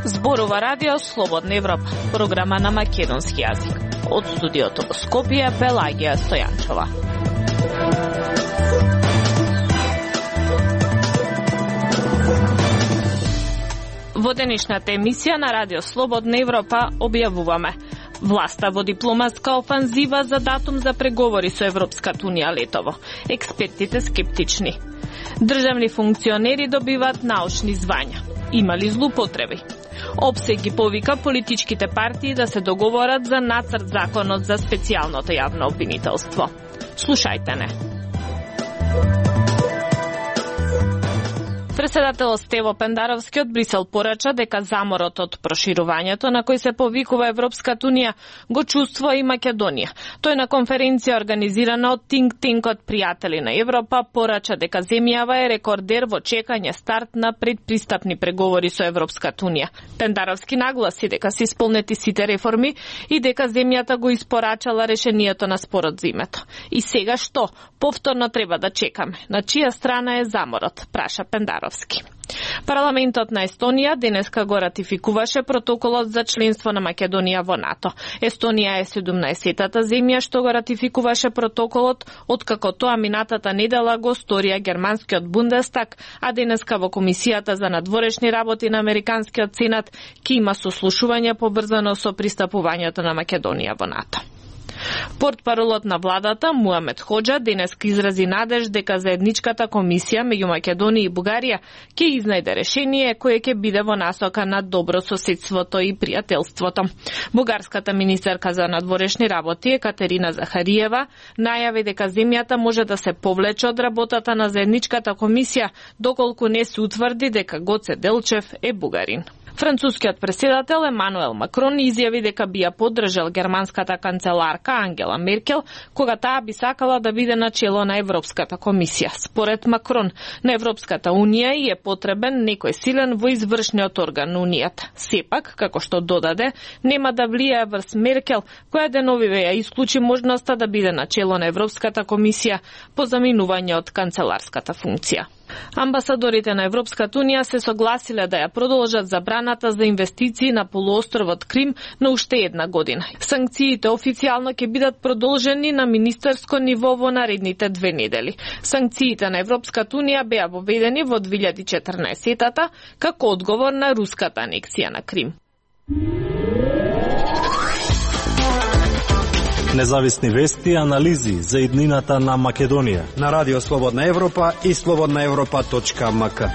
Зборува радио Слободна Европа, програма на македонски јазик. Од студиото во Скопје, Пелагија Стојанчова. Во денешната емисија на радио Слободна Европа објавуваме: власта во дипломатска офанзива за датум за преговори со Европската унија летово. Експертите скептични. Државни функционери добиваат научни звања. Има ли злоупотреби? ОПСЕ ги повика политичките партии да се договорат за нацрт законот за специјалното јавно обвинителство. Слушајте не. Председателот Стево Пендаровски од Брисел порача дека заморот од проширувањето на кој се повикува Европската унија го чувствува и Македонија. Тој на конференција организирана од Think Tank-от Пријатели на Европа порача дека земјава е рекордер во чекање старт на предпристапни преговори со Европската унија. Пендаровски нагласи дека се исполнети сите реформи и дека земјата го испорачала решението на спорот за името. И сега што? Повторно треба да чекаме. На чија страна е заморот? Праша Пендаровски. Парламентот на Естонија денеска го ратификуваше протоколот за членство на Македонија во НАТО. Естонија е 17-тата земја што го ратификуваше протоколот, откако тоа минатата недела го сторија германскиот Бундестаг, а денеска во Комисијата за надворешни работи на Американскиот Сенат ќе има сослушување поврзано со пристапувањето на Македонија во НАТО. Портпаролот на владата Муамед Хоџа денеска изрази надеж дека заедничката комисија меѓу Македонија и Бугарија ќе изнајде решение кое ќе биде во насока на добро соседството и пријателството. Бугарската министерка за надворешни работи Екатерина Захариева најави дека земјата може да се повлече од работата на заедничката комисија доколку не се утврди дека Гоце Делчев е бугарин. Францускиот претседател Емануел Макрон изјави дека би ја поддржал германската канцеларка Ангела Меркел кога таа би сакала да биде на чело на Европската комисија. Според Макрон, на Европската унија и е потребен некој силен во извршниот орган на унијата. Сепак, како што додаде, нема да влијае врз Меркел, која деновиве ја исклучи можноста да биде на чело на Европската комисија по заминување од канцеларската функција. Амбасадорите на Европската унија се согласиле да ја продолжат забраната за инвестиции на полуостровот Крим на уште една година. Санкциите официјално ќе бидат продолжени на министерско ниво во наредните 2 недели. Санкциите на Европската унија беа воведени во 2014-тата како одговор на руската анексија на Крим. Независни вести и анализи за иднината на Македонија на Радио Слободна Европа и slobodnaevropa.mk.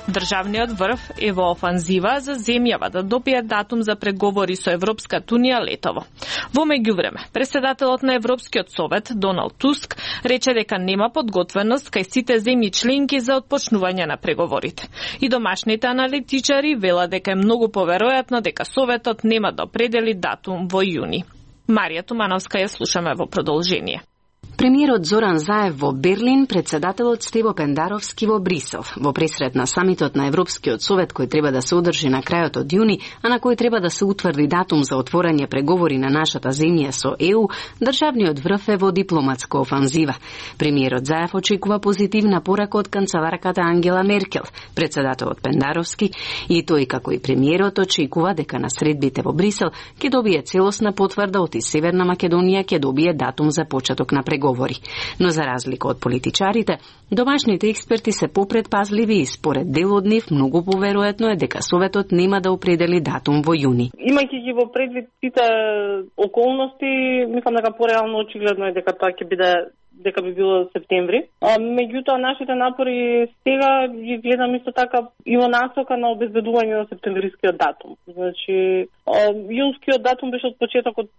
Државниот врв е во офанзива за земјава да добие датум за преговори со Европската унија летово. Во меѓувреме, председателот на Европскиот совет Доналд Туск рече дека нема подготвеност кај сите земји членки за отпочнување на преговорите. И домашните аналитичари велат дека е многу поверојатно дека советот нема да определи датум во јуни. Марија Тумановска ја слушаме во продолжение. Премиерот Зоран Заев во Берлин, председателот Стево Пендаровски во Брисел. Во пресрет на самитот на Европскиот совет кој треба да се одржи на крајот од јуни, а на кој треба да се утврди датум за отворање преговори на нашата земја со ЕУ, државниот врв е во дипломатска офанзива. Премиерот Заев очекува позитивна порака од канцеларката Ангела Меркел. Председателот Пендаровски и тој како и премиерот очекува дека на средбите во Брисел ќе добие целосна потврда од и Северна Македонија ќе добие датум за почеток на преговори. Но за разлика од политичарите, домашните експерти се попредпазливи и според дел од нив многу поверојатно е дека Советот нема да определи датум во јуни. Имајќи ги во предвид сите околности, мислам дека пореално очигледно е дека тоа ќе биде дека би било септември. Меѓутоа нашите напори сега ги гледам исто така има насока на обезбедување на септемврискиот датум. Значи, јунскиот датум беше од почетокот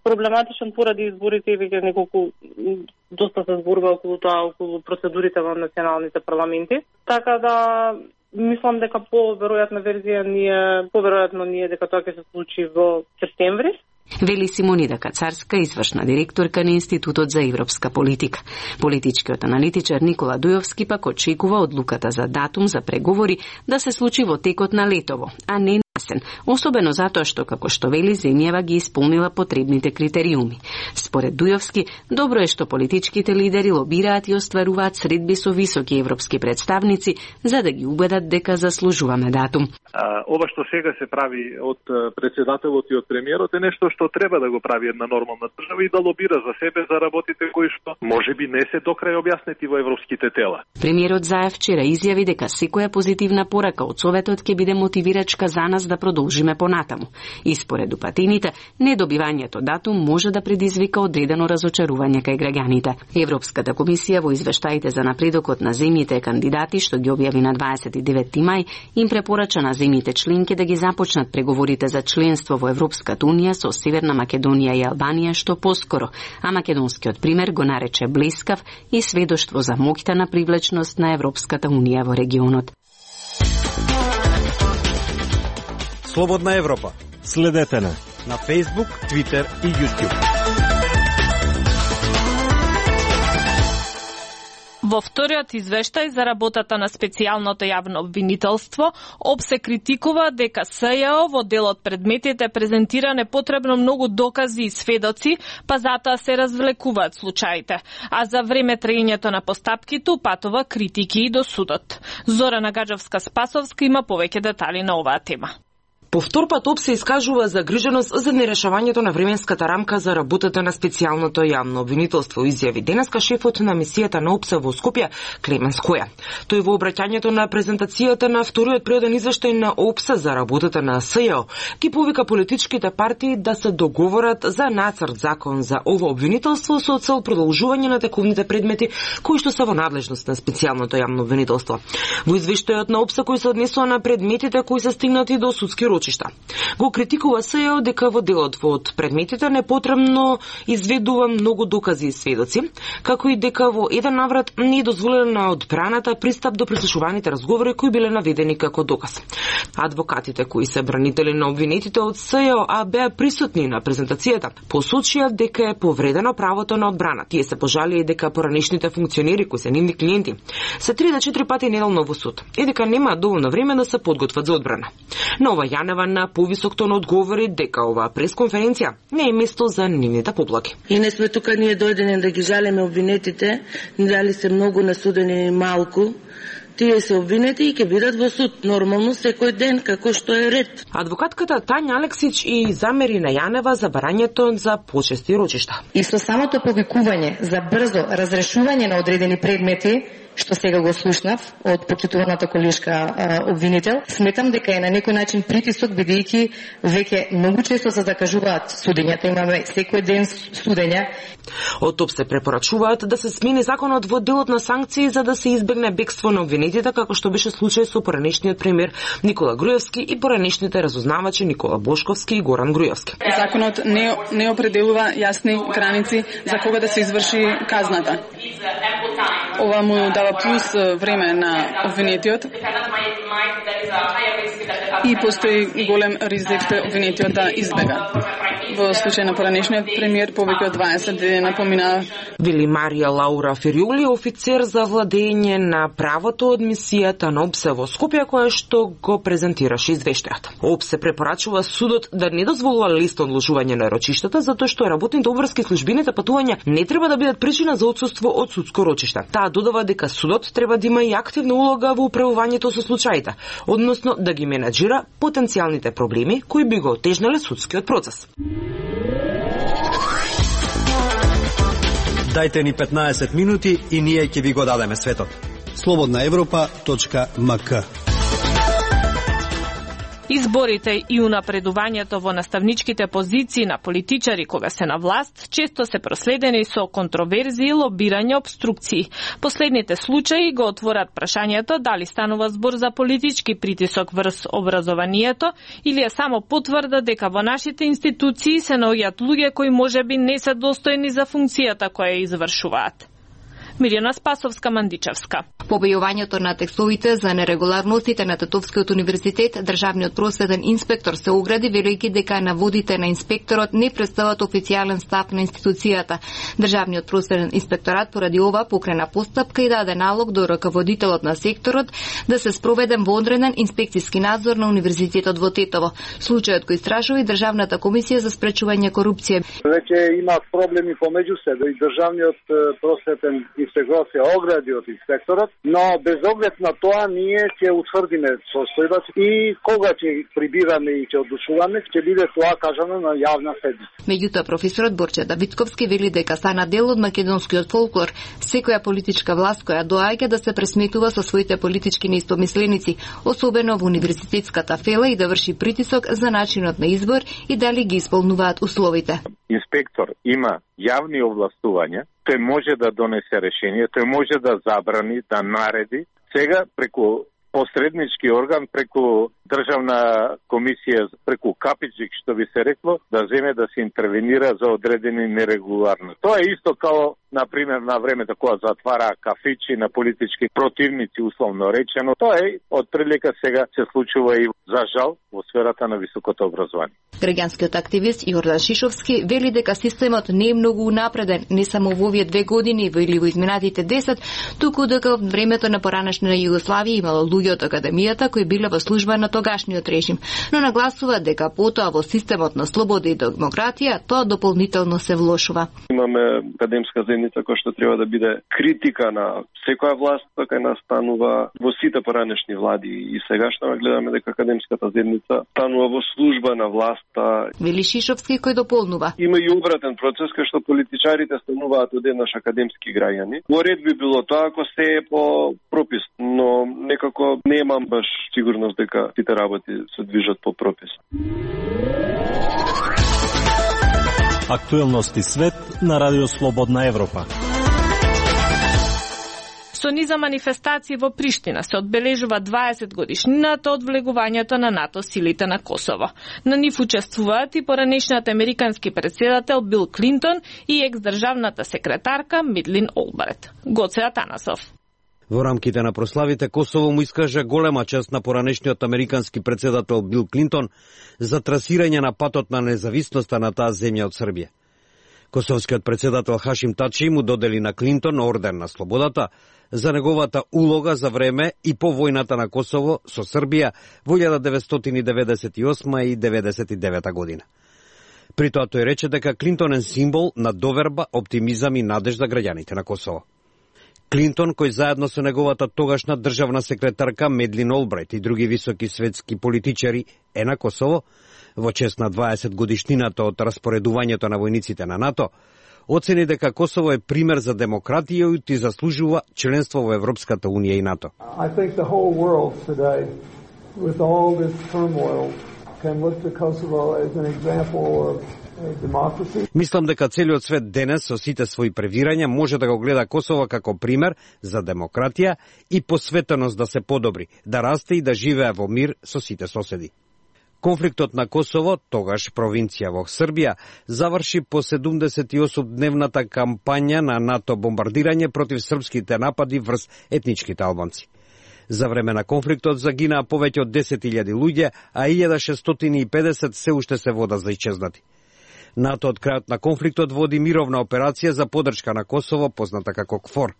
проблематичен поради изборите и веќе неколку доста се зборува околу тоа, околу процедурите во националните парламенти. Така да мислам дека поверојатно ние дека тоа ќе се случи во септември. Вели Симонида Кацарска, извршна директорка на Институтот за европска политика. Политичкиот аналитичар Никола Дујовски пак очекува одлуката за датум за преговори да се случи во текот на летово, а не на јасен, особено затоа што, како што вели, земјава ги исполнила потребните критериуми. Според Дујовски, добро е што политичките лидери лобираат и остваруваат средби со високи европски представници за да ги убедат дека заслужуваме датум. Ова што сега се прави од председателот и од премиерот е нешто што треба да го прави една нормална држава и да лобира за себе, за работите кои што можеби не се до крај објаснети во европските тела. Премиерот Заев вчера изјави дека секоја позитивна порака од Советот ќе биде мотивирачка за нас да продолжиме понатаму. И според упатините, недобивањето датум може да предизвика одредено разочарување кај граѓаните. Европската комисија во извештаите за напредокот на земјите кандидати што ги објави на 29 мај им препорача на земјите членки да ги започнат преговорите за членство во Европската унија со Северна Македонија и Албанија што поскоро, а македонскиот пример го нарече блескав и сведоштво за моќта на привлечност на Европската унија во регионот. Слободна Европа. Следете на Facebook, Twitter и YouTube. Во вториот извештај за работата на специјалното јавно обвинителство, ОП се критикува дека СЈО во делот предметите презентира непотребно многу докази и сведоци, па затоа се развлекуваат случаите. А за време траењето на постапките упатува критики и до судот. Зорана Гаджевска-Спасовска има повеќе детали на оваа тема. По втор пат ОП се искажува загриженост за нерешавањето на временската рамка за работата на специјалното јавно обвинителство, изјави денеска шефот на мисијата на ОПС во Скопје, Клемен Скоја. Тој во обраќањето на презентацијата на вториот природен извештај на ОПС за работата на СЈО ги повика политичките партии да се договорат за нацрт закон за ово обвинителство со цел продолжување на тековните предмети кои што се во надлежност на специјалното јавно обвинителство. Во извештајот на ОПС кој се однесува на предметите кои се стигнати до судски го критикува СЈО дека во делот од предметите непотребно изведува многу докази и сведоци, како и дека во еден наврат не е дозволено на одбраната пристап до прислушуваните разговори кои биле наведени како доказ. Адвокатите кои се бранители на обвинетите од СЈО, а беа присутни на презентацијата, посочија дека е повредено правото на одбрана. Тие се пожалија дека поранешните функционери кои се нивни клиенти се 3 до 4 пати неделно во суд и дека немаат доволно време да се подготват за одбрана. Нова Јанева на повисок тон одговори дека оваа пресконференција не е место за нивните поплаки. И не сме тука ние дојдени да ги жалеме обвинетите, дали се многу насудени малку. Тие се обвинети и ќе бидат во суд нормално секој ден како што е ред. Адвокатката Тања Алексич и замери на Јанева за барањето за почести рочишта. И со самото повикување за брзо разрешување на одредени предмети, што сега го слушнав од почитуваната колешка обвинител, сметам дека е на некој начин притисок, бидејќи веќе многу често се закажуваат судењата, имаме секој ден судења. Од ОП се препорачуваат да се смени законот во делот на санкции за да се избегне бегство на обвинетите, како што беше случај со поранешниот премиер Никола Груевски и поранешните разузнавачи Никола Бошковски и Горан Груевски. Законот не определува јасни граници за кога да се изврши казната. Ова му дава плюс време на обвинетиот и постои голем ризик обвинетиот да избега. Во случај на поранешниот премиер повеќе од 20 дена помина. Вели Марија Лаура Фериули, офицер за владење на правото од мисијата на ОПС во Скопје, која што го презентираше извештајот. ОПС препорачува судот да не дозволува лесно одложување на рочиштата, затоа што работните обврски службените патувања не треба да бидат причина за отсуство од судско рочиште. Таа додава дека судот треба да има и активна улога во управувањето со случаите, односно да ги менаџира потенцијалните проблеми кои би го отежнале судскиот процес. Дајте ни 15 минути и ние ќе ви го дадеме светот. slobodnaevropa.mk. Изборите и унапредувањето во наставничките позиции на политичари кога се на власт често се проследени со контроверзии, лобирање, обструкции. Последните случаи го отворат прашањето дали станува збор за политички притисок врз образованието или е само потврда дека во нашите институции се наоѓаат луѓе кои можеби не се достојни за функцијата која ја извршуваат. Мирјана Спасовска-Мандичевска. По објавувањето на текстовите за нерегуларностите на Тетовскиот универзитет, државниот просветен инспектор се огради, велејќи дека наводите на инспекторот не представат официјален став на институцијата. Државниот просветен инспекторат поради ова покрена постапка и даде налог до раководителот на секторот да се спроведе вонреден инспекцијски надзор на универзитетот во Тетово. Случајот кој истражува и Државната комисија за спречување корупција. Веќе има проблеми помеѓу себе и државниот просветен инспекторат се огради од инспекторот, но без оглед на тоа ние ќе утврдиме состојбата и кога ќе прибираме и ќе одлучуваме, ќе биде тоа кажано на јавна седница. Меѓутоа професорот Борче Давидковски вели дека стана дел од македонскиот фолклор, секоја политичка власт која доаѓа да се пресметува со своите политички неистомисленици, особено во универзитетската фела, и да врши притисок за начинот на избор и дали ги исполнуваат условите. Инспектор има јавни овластувања, тој може да донесе решение, тој може да забрани, да нареди. Сега преку посреднички орган, преку државна комисија, преку капичик, што би се рекло, да земе да се интервенира за одредени нерегуларности. Тоа е исто као, например, на времето кога затвара кафичи на политички противници, условно речено. Тоа е од прилика сега се случува и за жал во сферата на високото образование. Граѓанскиот активист Јордан Шишовски вели дека системот не е многу унапреден, не само во овие 2 години или во изминатите 10, туку дека во времето на поранешна Југославија имало луѓе од академијата кои биле во служба на тогашниот режим, но нагласува дека потоа во системот на слобода и демократија тоа дополнително се влошува. Имаме академска заедница која што треба да биде критика на секоја власт, така и настанува во сите поранешни влади, и сегашно гледаме дека академската заедница станува во служба на власта. Вели Шишовски, кој дополнува: има и обратен процес кај што политичарите стануваат одеднаш академски граѓани. Во ред би било тоа ако се е по пропис, но некако немам баш сигурност дека сите работи се движат по пропис. Актуелности свет на Радио Слободна Европа. Со низа манифестации во Приштина се одбележува 20 годишнината од влегувањето на НАТО силите на Косово. На нив учествуваат и поранешниот американски претседател Бил Клинтон и екс-државната секретарка Мидлин Олбрет. Гоце Атанасов. Во рамките на прославите Косово му искажа голема чест на поранешниот американски претседател Бил Клинтон за трасирање на патот на независноста на таа земја од Србија. Косовскиот претседател Хашим Тачи му додели на Клинтон орден на слободата за неговата улога за време и по војната на Косово со Србија во 1998 и 1999 година. При тоа тој рече дека Клинтон е символ на доверба, оптимизам и надеж за граѓаните на Косово. Клинтон, кој заедно со неговата тогашна државна секретарка Медлин Олбрайт и други високи светски политичари е на Косово, во чест на 20 годишнината од распоредувањето на војниците на НАТО, оцени дека Косово е пример за демократија и заслужува членство во Европската унија и НАТО. I think the whole world today, with all this turmoil, can look to Kosovo as an example of democracy. Мислам дека целиот свет денес со сите своји превирања може да го гледа Косово како пример за демократија и посветеност да се подобри, да расте и да живее во мир со сите соседи. Конфликтот на Косово, тогаш провинција во Србија, заврши по 78-дневната кампања на НАТО бомбардирање против српските напади врз етничките албанци. За време на конфликтот загинаа повеќе од 10.000 луѓе, а 1650 се уште се вода за исчезнати. НАТО од крајот на конфликтот води мировна операција за поддршка на Косово, позната како КФОР.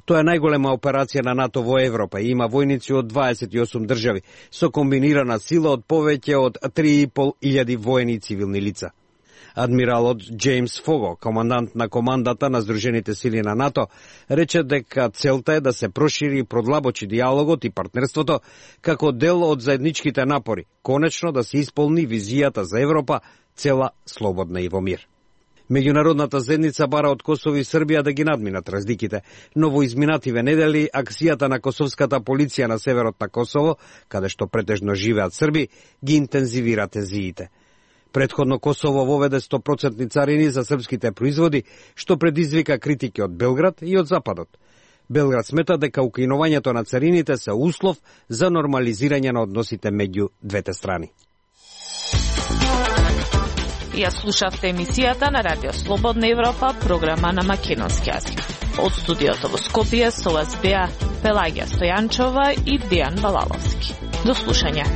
Тоа е најголема операција на НАТО во Европа и има војници од 28 држави, со комбинирана сила од повеќе од 3.500 воени и цивилни лица. Адмиралот Джеймс Фого, командант на командата на Сдружените сили на НАТО, рече дека целта е да се прошири и продлабочи диалогот и партнерството како дел од заедничките напори, конечно да се исполни визијата за Европа, цела, слободна и во мир. Меѓународната заедница бара од Косово и Србија да ги надминат разликите, но во изминативе недели акцијата на косовската полиција на северот на Косово, каде што претежно живеат срби, ги интензивира тензиите. Претходно Косово воведе 100% царини за српските производи, што предизвика критики од Белград и од Западот. Белград смета дека укинувањето на царините се услов за нормализирање на односите меѓу двете страни. Ја слушавте емисијата на Радио Слободна Европа, програма на македонски јазик. Од студиото во Скопје со вас беа Пелагија Стојанчова и Дејан Балаловски. До слушање.